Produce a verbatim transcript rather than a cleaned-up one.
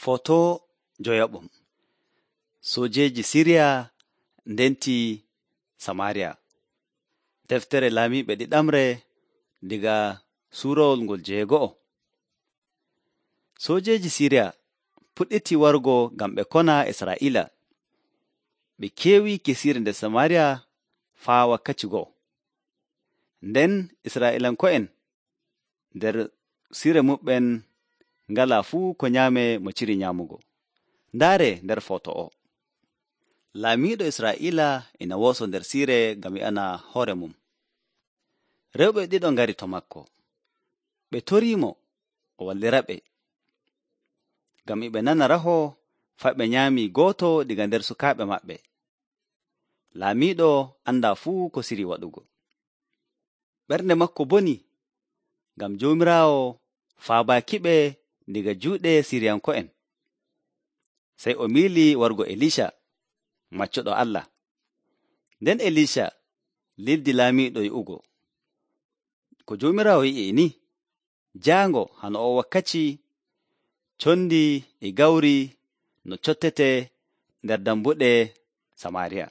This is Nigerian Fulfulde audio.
Foto joyaɓum. Sojeeji Siriya ndenti Samaariya. Deftere laamiiɓe ɗiɗamre diga suurowol ngol jeego'o. Sojeeji Siriya puɗɗiti wargo ngam ɓe kona Israa'iila. Ɓe keewi kesiire nder Samaariya faa wakkati go'o. Nden Israa'iilanko'en nder sire muɓɓen ngalaa fuu ko nyaame mo ciri nyaamugo. Ndaare nder foto o. Laamiiɗo Israa'iila ina wooso nder siire ngam yi'ana hoore mum. Rewɓe ɗiɗo ngari to makko. Ɓe toriimo o wallira ɓe. Ngam e ɓe nana raho faa ɓe nyaami gooto diga nder sukaaɓe maɓɓe. Laamiiɗo andaa fuu ko siri waɗugo. Ɓernde makko boni ngam Joomiraawo faabaaki-ɓe diga juuɗe Siriyanko'en. Sey o miili wargo Elisha, maccuɗo Allah. Nden Elisha lildi laamiiɗo yi'ugo. Ko Joomiraawo yi'i ni, jaango hano o wakkati condi e gawri no cottete nder dambuɗe Samaariya.